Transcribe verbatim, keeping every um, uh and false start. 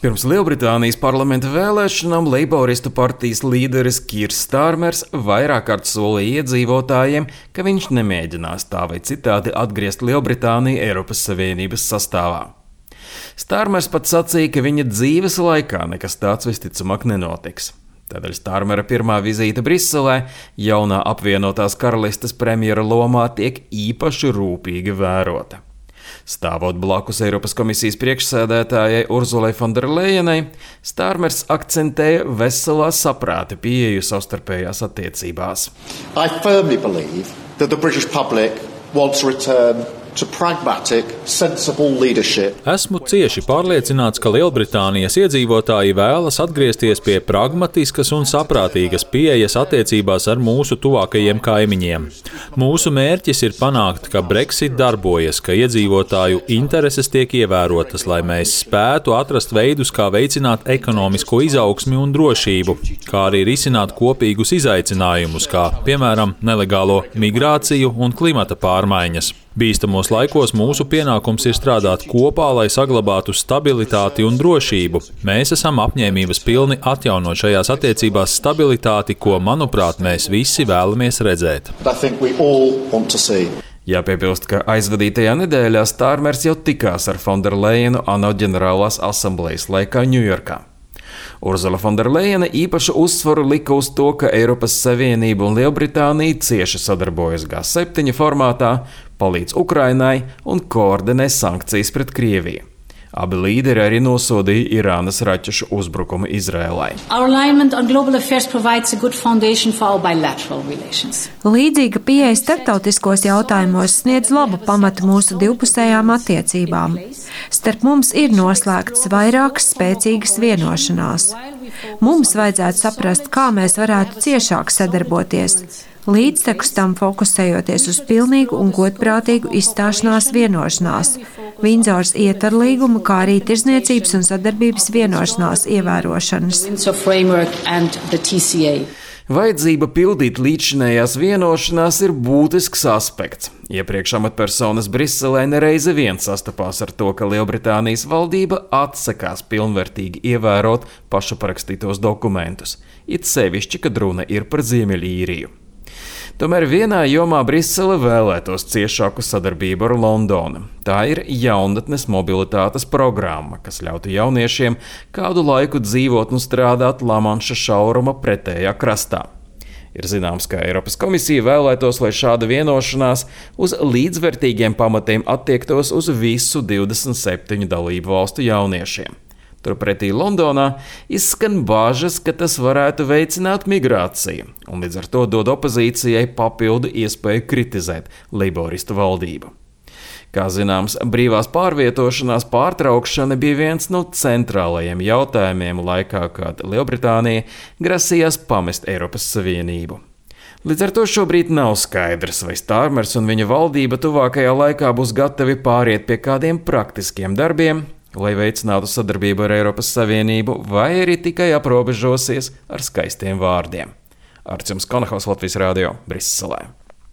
Pirms Lielbritānijas parlamenta vēlēšanām Leiboristu partijas līderis Kirs Starmers vairāk kārt solīja iedzīvotājiem, ka viņš nemēģinās tā vai citādi atgriezt Lielbritāniju Eiropas Savienības sastāvā. Starmers pat sacīja, ka viņa dzīves laikā nekas tāds visticamāk nenotiks. Tādēļ Starmera pirmā vizīte Briselē jaunā apvienotās karalistes premjera lomā tiek īpaši rūpīgi vērota. Stāvot blakus Eiropas komisijas priekšsēdētājai Urzulai Fonderlejenai, Starmers akcentēja veselā saprāta pieeju savstarpējās attiecībās. I firmly believe that the British public wants to return to pragmatic, sensible leadership. Esmu cieši pārliecināts, ka Lielbritānijas iedzīvotāji vēlas atgriezties pie pragmatiskas un saprātīgas pieejas attiecībās ar mūsu tuvākajiem kaimiņiem. Mūsu mērķis ir panākt, ka Brexit darbojas, ka iedzīvotāju intereses tiek ievērotas, lai mēs spētu atrast veidus, kā veicināt ekonomisko izaugsmi un drošību, kā arī risināt kopīgus izaicinājumus, kā, piemēram, nelegālo migrāciju un klimata pārmaiņas. Bīstamos laikos mūsu pienākums ir strādāt kopā, lai saglabātu stabilitāti un drošību. Mēs esam apņēmības pilni atjaunot šajās attiecībās stabilitāti, ko, manuprāt, mēs visi vēlamies redzēt. Jāpiebilst, ka aizvadītajā nedēļā Starmers jau tikās ar Fonderlejenu ANO ģenerālās asamblejas laikā Ņujorkā. Urzula Fonderlejena īpašu uzsvaru lika uz to, ka Eiropas Savienība un Lielbritānija cieši sadarbojas G septiņi formātā, palīdz Ukrainai un koordinē sankcijas pret Krieviju. Abi līderi arī nosodīja Irānas raķešu uzbrukumu Izrēlai. Līdzīga pieeja starptautiskos jautājumos sniedz labu pamatu mūsu divpusējām attiecībām. Starp mums ir noslēgts vairākas spēcīgas vienošanās. Mums vajadzētu saprast, kā mēs varētu ciešāk sadarboties, līdztekus tam fokusējoties uz pilnīgu un godprātīgu izstāšanās vienošanās, Vindzoras ietvarlīguma, kā arī tirdzniecības un sadarbības vienošanās ievērošanas. Vajadzība pildīt līdzšinējās vienošanās ir būtisks aspekts. Iepriekš amatpersonas Briselē nereizi vien sastapās ar to, ka Lielbritānijas valdība atsakās pilnvērtīgi ievērot pašaprakstītos dokumentus, it sevišķi, kad runa ir par Ziemeļīriju. Tomēr vienā jomā Brisele vēlētos ciešāku sadarbību ar Londonu. Tā ir jaunatnes mobilitātes programma, kas ļautu jauniešiem kādu laiku dzīvot un strādāt Lamanša šauruma pretējā krastā. Ir zināms, ka Eiropas komisija vēlētos, lai šāda vienošanās uz līdzvērtīgiem pamatiem attiektos uz visu divdesmit septiņu dalību valstu jauniešiem. Turpretī Londonā izskan bāžas, ka tas varētu veicināt migrāciju, un līdz ar to dod opozīcijai papildu iespēju kritizēt leiboristu valdību. Kā zināms, brīvās pārvietošanās pārtraukšana bija viens no centrālajiem jautājumiem laikā, kad Lielbritānija grasījās pamest Eiropas Savienību. Līdz ar to šobrīd nav skaidrs, vai Starmers un viņa valdība tuvākajā laikā būs gatavi pāriet pie kādiem praktiskiem darbiem, lai veicinātu sadarbību ar Eiropas Savienību, vai arī tikai aprobežosies ar skaistiem vārdiem. Arčuns Konahaus, Latvijas radio, Briselē.